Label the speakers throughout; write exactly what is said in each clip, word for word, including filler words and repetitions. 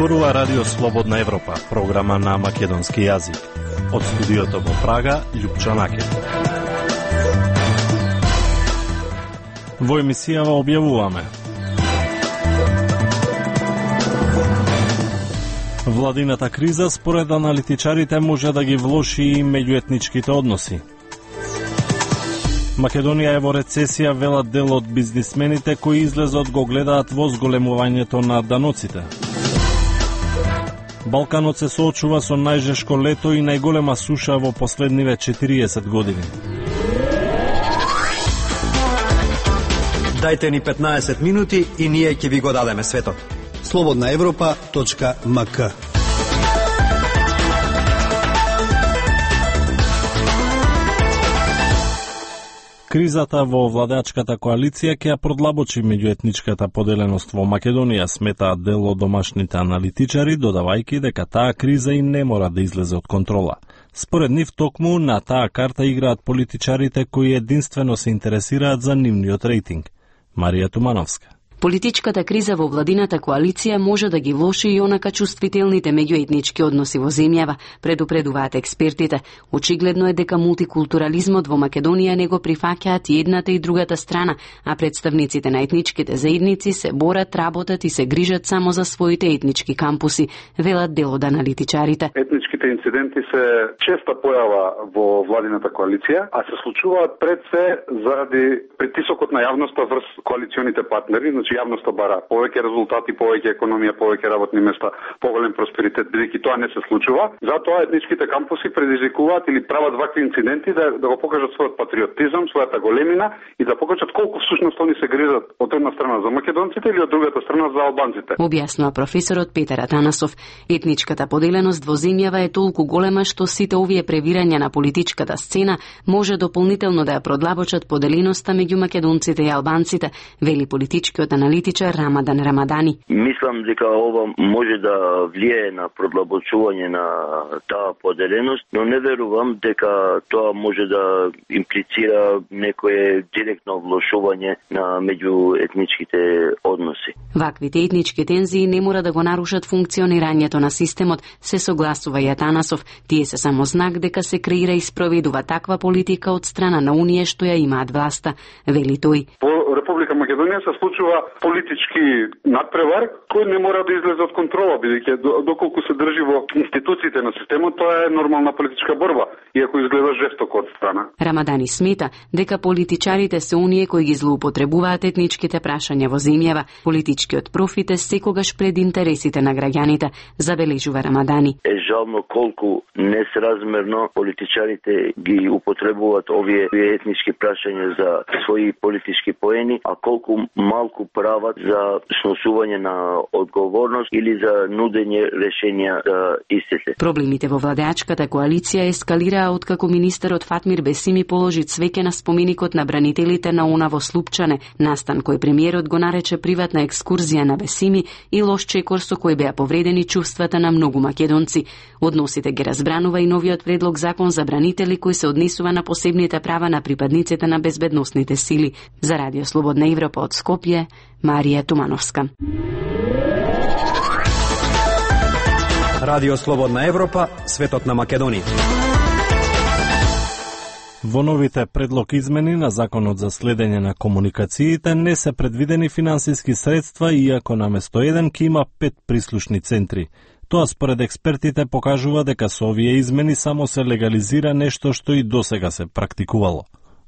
Speaker 1: Зборува Радио Слободна Европа, програма на македонски јазик. Од студиото во Прага, Љупчо Наке. Во емисијава објавуваме: владината криза според аналитичарите може да ги влоши и меѓуетничките односи. Македонија е во рецесија, велат дел од бизнисмените кои излезот го гледаат во зголемувањето на даноците. Балканот се соочува со најжешко лето и најголема суша во последниве четириесет години.
Speaker 2: Дајте ни петнаесет минути и ние ќе ви го дадеме светот.
Speaker 3: слободна европа точка ем ка.
Speaker 1: Кризата во владеачката коалиција ќе ја продлабочи меѓуетничката поделеност во Македонија, сметаат дел од домашните аналитичари, додавајќи дека таа криза и не мора да излезе од контрола. Според нив токму на таа карта играат политичарите кои единствено се интересираат за нивниот рейтинг. Марија Тумановска.
Speaker 4: Политичката криза во владината коалиција може да ги влоши и онака чувствителните меѓуетнички односи во земјава, предупредуваат експертите. Очигледно е дека мултикултурализмот во Македонија не го прифаќаат и едната и другата страна, а представниците на етничките заедници се борат, работат и се грижат само за своите етнички кампуси, велат дел од аналитичарите.
Speaker 5: Етничките инциденти се честа појава во владината коалиција, а се случуваат пред се заради притисокот на јавноста врз коалиционите партнери. Значи јавноста бара повеќе резултати, повеќе економија, повеќе работни места, поголем просперитет, бидејќи тоа не се случува. Затоа етничките кампуси предизвикуваат или прават вакви инциденти да, да го покажат својот патриотизам, својата големина и да покажат колку всушност они се грижат од една страна за македонците или од другата страна за албанците.
Speaker 4: Објаснува професорот Петар Атанасов. Етничката поделеност во земјава е толку голема што сите овие превирања на политичката сцена може дополнително да ја продлабочат поделеноста меѓу македонците и албанците, вели политичкиот аналитичар Рамадан Рамадани.
Speaker 6: Мислам дека ова може да влијае на продлабочување на таа поделеност, но не верувам дека тоа може да имплицира некое директно влошување на меѓуетничките односи.
Speaker 4: Ваквите етнички тензии не мора да го нарушат функционирањето на системот, се согласува и Атанасов. Тие се само знак дека се креира и спроведува таква политика од страна на Унија што ја имаат власта, вели тој.
Speaker 5: По Република Македонија се случува политички надпревар кој не мора да излезе од контрола, бидејќи доколку се држи во институциите на системот, тоа е нормална политичка борба, иако изгледа жестоко од страна.
Speaker 4: Рамадани смета дека политичарите се оние кои ги злоупотребуваат етничките прашања во земјава. Политичкиот профит е секогаш пред интересите на граѓаните, забележува Рамадани.
Speaker 6: Е жално колку несразмерно политичарите ги употребуваат овие етнички прашања за своји политички поени, а колку малку прават за сносување на одговорност или за нудење решенија за истите.
Speaker 4: Проблемите во владеачката коалиција ескалираа откако министерот Фатмир Бесими положи цвеќе на споменикот на бранителите на Она во Слупчане, настан кој премиерот го нарече приватна екскурзија на Бесими и лош чекор со кој беа повредени чувствата на многу македонци. Односите ги разбранува и новиот предлог закон за бранители кој се однесува на посебните права на припадниците на безбедносните сили. За Радио Слободна Европа од Скопје, Марија Тумановска.
Speaker 2: Радио Слободна Европа, светот на Македонија.
Speaker 1: Во новите предлог измени на Законот за следење на комуникациите не се предвидени финансиски средства, иако наместо еден ќе има пет прислушни центри. Тоа според експертите покажува дека со овие измени само се легализира нешто што и досега се практикувало.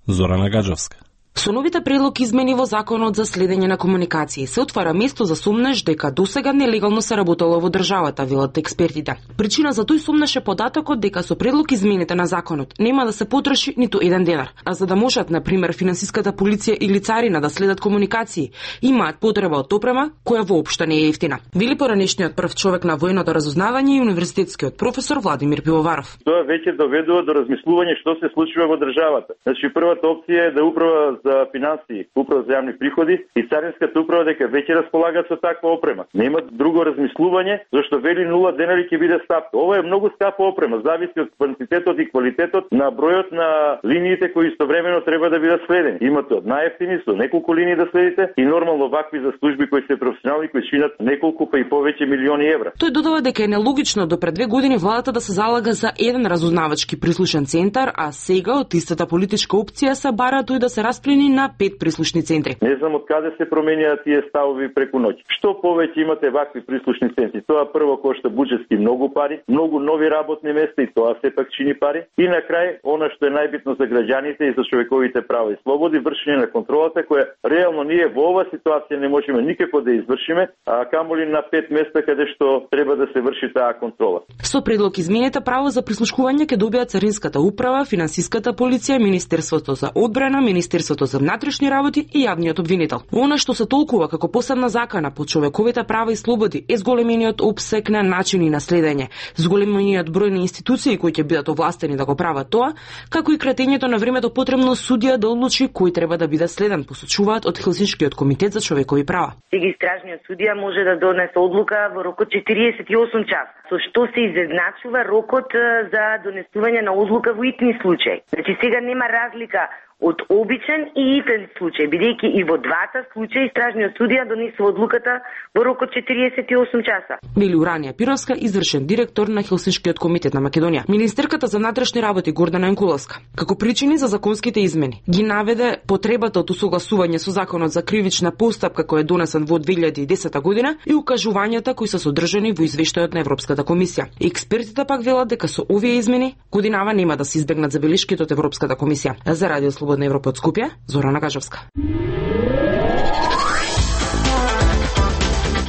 Speaker 1: Зорана Гаджовска.
Speaker 7: Со новите предлог измени во Законот за следење на комуникации се отвара место за сумнеш дека досега нелегално се работело во државата, велат експертите. Причина за тој сумнеш е податокот дека со предлог измените на законот нема да се потроши ниту еден денар, а за да можат на пример финансиската полиција или царина да следат комуникации, имаат потреба од опрема која воопшто не е ефтина. Вели поранешниот прв човек на војното разузнавање и универзитетскиот професор Владимир Пивоваров.
Speaker 8: Тоа веќе доведува до размислување што се случува во државата. Значи првата опција е да управа за финансии, управа за јавни приходи и царинската управа дека веќе располагаат со таква опрема. Нема друго размислување зашто вели нула денари ќе биде стапка. Ова е многу скапа опрема, зависи од квантитетот и квалитетот на бројот на линиите кои истовремено треба да бидат следени. Имате од најевтини со неколку линии да следите и нормално вакви за служби кои се професионални кои чинат неколку па и повеќе милиони евра.
Speaker 7: Тој додава дека е нелогично до пред две години владата да се залага за еден разузнавачки прислушен центар, а сега од истата политичка опција се бара тој да се расплени на пет прислушни центри.
Speaker 8: Не знам од каде се променуваат тие ставови преку ноќ. Што повеќе имате вакви прислушни центри, тоа прво кошта буџетски многу пари, многу нови работни места и тоа сепак чини пари. И на крај, она што е најбитно за граѓаните и за човековите права и слободи, вршење на контролата која реално ние во оваа ситуација не можеме никако да извршиме, а камоли на пет места каде што треба да се врши таа контрола.
Speaker 7: Со предлог изменета право за прислушкување ќе добијат царинската управа, финансиската полиција, Министерството за одбрана, Министерството за внатрешни работи и јавниот обвинител. Она што се толкува како посебна закана по човековите права и слободи е зголемениот опсек на начини на следење, зголемениот број на институции кои ќе бидат овластени да го прават тоа, како и кратењето на времето потребно судија да одлучи кој треба да биде следен, посочуваат од Хелсиншкиот комитет за човекови права.
Speaker 9: Сега истражниот судија може да донесе одлука во рокот четириесет и осум часа, со што се изедначува рокот за донесување на одлука во итни случаи. Значи сега нема разлика од обичен и итен случај, бидејќи и во двата случаи истражниот судија донесува одлуката во рокот четириесет и осум часа.
Speaker 7: Вели Уранија Пировска, извршен директор на Хелсиншкиот комитет на Македонија. Министерката за внатрешни работи Гордана Јанкуловска, како причини за законските измени, ги наведе потребата од усогласување со законот за кривична постапка кој е донесен во две илјади и десета година и укажувањата кои се содржани во извештајот на Европската комисија. Експертите пак велат дека со овие измени годинава нема да се избегнат забелишките од Европската комисија. За Радио Слободна Европа од Скопје, Зорана Гажовска.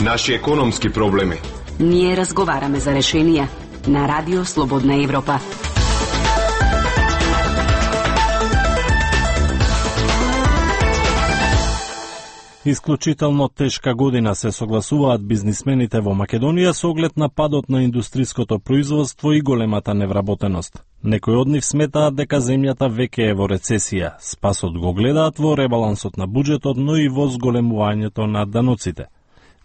Speaker 10: Наши економски проблеми.
Speaker 4: Ние разговараме за решенија на Радио Слободна Европа.
Speaker 1: Исклучително тешка година се согласуваат бизнисмените во Македонија со оглед на падот на индустриското производство и големата невработеност. Некои од нив сметаат дека земјата веќе е во рецесија. Спасот го гледаат во ребалансот на буџетот, но и во зголемувањето на даноците.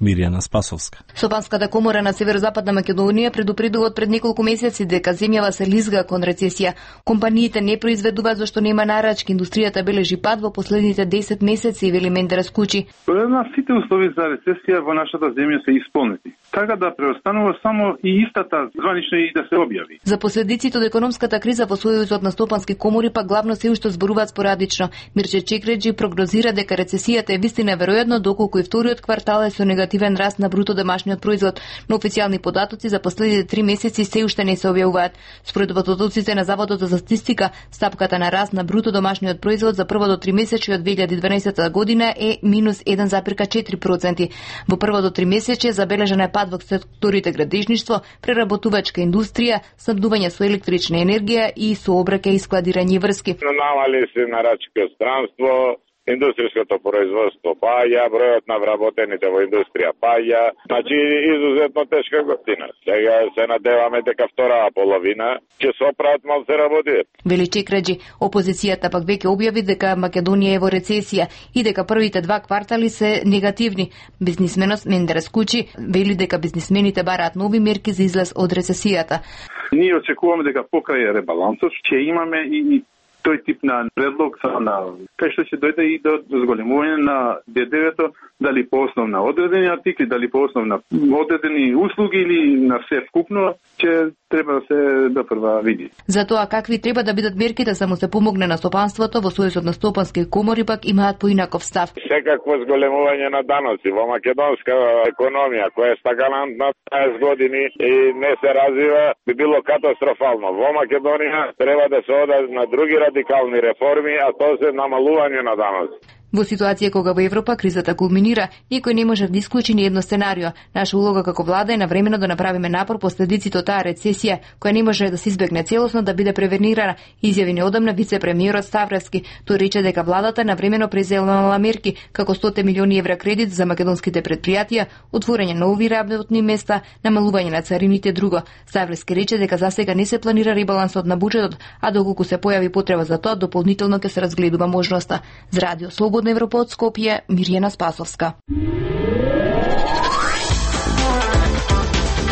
Speaker 1: Мирјана Спасовска.
Speaker 11: Сопанската комора на Северозападна Македонија предупредува пред неколку месеци дека земјава се лизга кон рецесија. Компаниите не произведуваат зашто нема нарачки, индустријата бележи пад во последните десет месеци, вели Мендера Скучи.
Speaker 12: На сите услови за рецесија во нашата земја се исполнети. Така да преостанува само и истата званична и да се објави.
Speaker 11: За последиците од економската криза во Сојузот на стопански комори пак главно се уште зборуваат спорадично. Мирче Чекреджи прогнозира дека рецесијата е вистина веројатно доколку и вториот квартал е со негативен раст на бруто домашниот производ, но официјални податоци за последните три месеци се уште не се објавуваат. Според податоците на Заводот за статистика, стапката на раст на бруто домашниот производ за првото тримесечие од две илјади и дванаесета година е минус еден зарез четири проценти. Во првото тримесечие забележан е пад во секторите градежништво, преработувачка индустрија, снабдување со електрична енергија и сообраќај и складирање врски.
Speaker 13: Намали се нарачки од странство, индустријското производство паја, бројот на вработените во индустрија паја, значи изузетно тешка година. Сега се надеваме дека втораа половина ќе се оправат малку се работи.
Speaker 11: Вели Чекреджи, опозицијата пак веќе објави дека Македонија е во рецесија и дека првите два квартали се негативни. Бизнисменот Мендера Скучи вели дека бизнисмените бараат нови мерки за излез од рецесијата.
Speaker 12: Ние очекуваме дека покрај ребалансот ќе имаме и тој тип на предлог на кај што ќе дојде и до зголемување на Д Д В-то, дали по основ на одредени артикли, дали по основ на одредени услуги или на се вкупно, ќе треба да се допрва види.
Speaker 11: За тоа какви треба да бидат мерките за му се помогне на стопанството, во Сојузот на стопански комори пак имаат поинаков став.
Speaker 13: Секакво зголемување на даноци во македонска економија која е стагалантна траесет години и не се развива, би било катастрофално. Во Македонија треба да се ода на други радикални реформи, а тоа се намалување на даноци.
Speaker 11: Во ситуација кога во Европа кризата кулминира, никој не може да исклучи ни едно сценарио. Наша улога како влада е навремено да направиме напор последиците од таа рецесија, која не може да се избегне целосно да биде превенирана, изјави неодамна вице-премиерот Ставревски. Тој рече дека владата навремено преземала мерки како сто милиони евра кредит за македонските предпријатија, отворање нови работни места, намалување на царините друго. Ставревски рече дека засега не се планира ребалансот на буџетот, а доколку се појави потреба за тоа, дополнително ќе се разгледува можноста. За Радио Слободна Европа од Скопје, Мирјана Спасовска.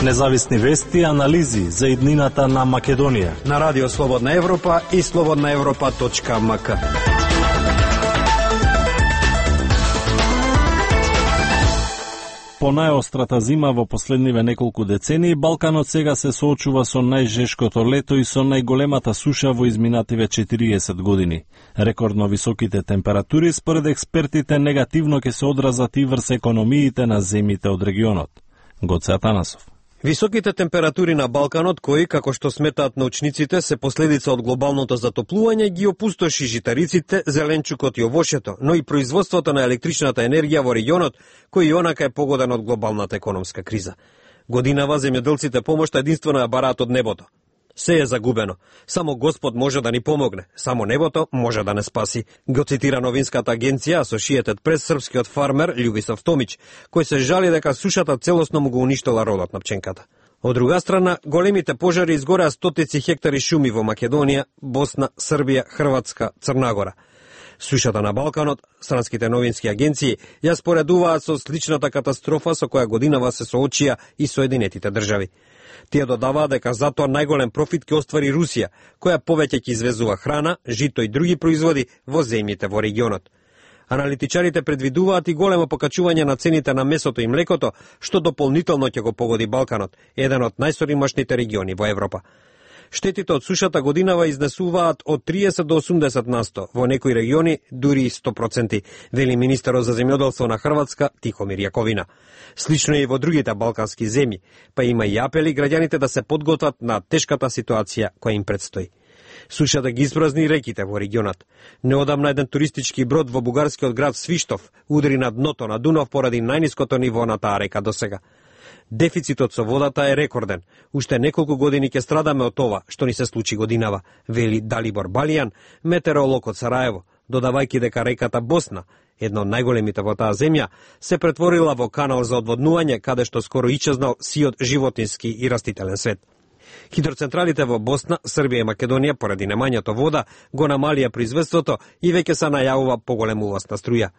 Speaker 1: Независни вести и анализи за иднината на Македонија
Speaker 2: на Радио Слободна Европа и слободна европа точка ем ка.
Speaker 1: По најострата зима во последниве неколку децении, Балканот сега се соочува со најжешкото лето и со најголемата суша во изминативе четириесет години. Рекордно високите температури, според експертите, негативно ќе се одразат и врз економиите на земјите од регионот. Гоце Атанасов.
Speaker 2: Високите температури на Балканот, кои, како што сметаат научниците, се последица од глобалното затоплување, ги опустоши житариците, зеленчукот и овошето, но и производството на електричната енергија во регионот, кој и онака е погоден од глобалната економска криза. Годинава земјоделците помошта единствено ја бараат од небото. Се е загубено. Само Господ може да ни помогне. Само небото може да не спаси. Го цитира новинската агенција Associated Press српскиот фармер Љубисав Томич, кој се жали дека сушата целосно му го уништила родот на пченката. Од друга страна, големите пожари изгореа стотици хектари шуми во Македонија, Босна, Србија, Хрватска, Црна Гора. Сушата на Балканот, странските новински агенции ја споредуваат со сличната катастрофа со која годинава се соочија и Соединетите држави. Тие додаваат дека затоа најголем профит ќе оствари Русија, која повеќе ќе извезува храна, жито и други производи во земјите во регионот. Аналитичарите предвидуваат и големо покачување на цените на месото и млекото, што дополнително ќе го погоди Балканот, еден од најсоримашните региони во Европа. Штетите од сушата годинава изнесуваат од триесет до осумдесет на сто, во некои региони дури и сто проценти, вели министерот за земјоделство на Хрватска Тихомир Јаковина. Слично и во другите балкански земји, па има и апели граѓаните да се подготват на тешката ситуација која им предстои. Сушата ги испразни реките во регионот. Неодамна еден туристички брод во бугарскиот град Свиштов удри на дното на Дунав поради најниското ниво на таа река досега. Дефицитот со водата е рекорден. Уште неколку години ќе страдаме од ова што ни се случи годинава, вели Далибор Балијан, метеоролог од Сараево, додавајќи дека реката Босна, една од најголемите во таа земја, се претворила во канал за одводнување каде што скоро исчезнал сиот животински и растителен свет. Хидроцентралите во Босна, Србија и Македонија поради немањето вода го намалија производството и веќе се најавува поголем увоз на струја.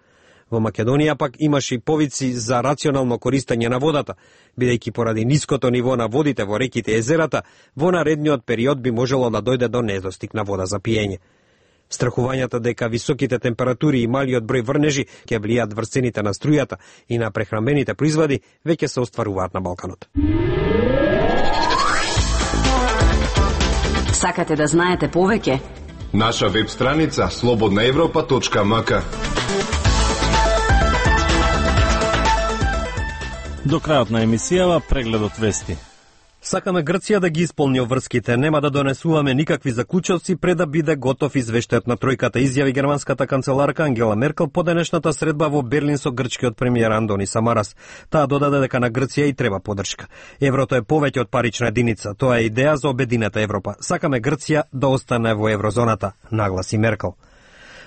Speaker 2: Во Македонија пак имаше и повици за рационално користење на водата, бидејќи поради ниското ниво на водите во реките и езерата, во наредниот период би можело да дојде до недостиг на вода за пиење. Страхувањата дека високите температури и малиот број врнежи ќе влијат врз цените на струјата и на прехранбените производи веќе се остваруваат на Балканот.
Speaker 4: Сакате да знаете повеќе?
Speaker 10: Наша веб страница слободна европа точка ем ка.
Speaker 1: До крајот на емисијава прегледот вести.
Speaker 2: Сакаме Грција да ги исполни обврските, нема да донесуваме никакви заклучоци пред да биде готов извештајот на тројката, изјави германската канцеларка Ангела Меркел по денешната средба во Берлин со грчкиот премиер Андони Самарас. Таа додаде дека на Грција и треба подршка. Еврото е повеќе од парична единица, тоа е идеја за обединета Европа. Сакаме Грција да остане во еврозоната, нагласи Меркел.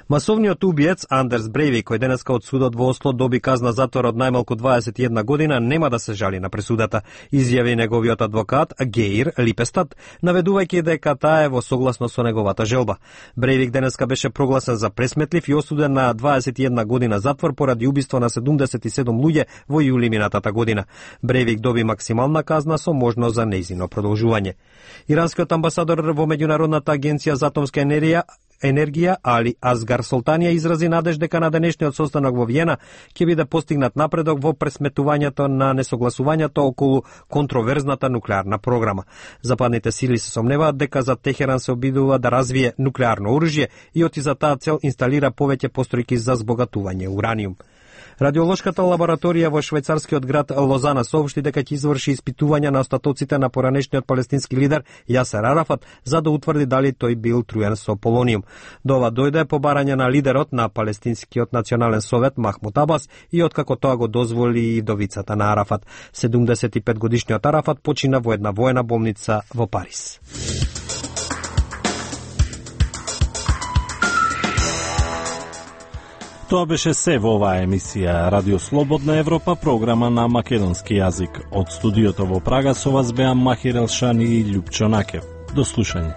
Speaker 2: Масовниот убиец Андерс Брейвик, кој денеска од судот во Осло доби казна затвор од најмалку дваесет и една година, нема да се жали на пресудата, изјави неговиот адвокат Геир Липестад, наведувајќи дека таа е во согласно со неговата желба. Брейвик денеска беше прогласен за пресметлив и осуден на дваесет и една година затвор поради убиство на седумдесет и седум луѓе во јули минатата година. Брейвик доби максимална казна со можност за нејзино продолжување. Иранскиот амбасадор во Меѓународната агенција за атомска енергија енергија, Али Азгар Солтанија изрази надеж дека на денешниот состанок во Виена ќе биде постигнат напредок во пресметувањето на несогласувањето околу контроверзната нуклеарна програма. Западните сили се сомневаат дека за Техеран се обидува да развие нуклеарно оружје и оти за таа цел инсталира повеќе постројки за збогатување ураниум. Радиолошката лабораторија во швајцарскиот град Лозана соопшти дека ќе изврши испитувања на остатоците на поранешниот палестински лидер Јасер Арафат за да утврди дали тој бил труен со полониум. До ова дојде по барање на лидерот на Палестинскиот национален совет Махмуд Абас и откако тоа го дозволи и вдовицата на Арафат. седумдесет и пет годишниот Арафат почина во една воена болница во Париз.
Speaker 1: Тоа беше се во оваа емисија Радио Слободна Европа, програма на македонски јазик. Од студиото во Прага со вас беа Махир Елшани и Љупчо Накев. До слушање.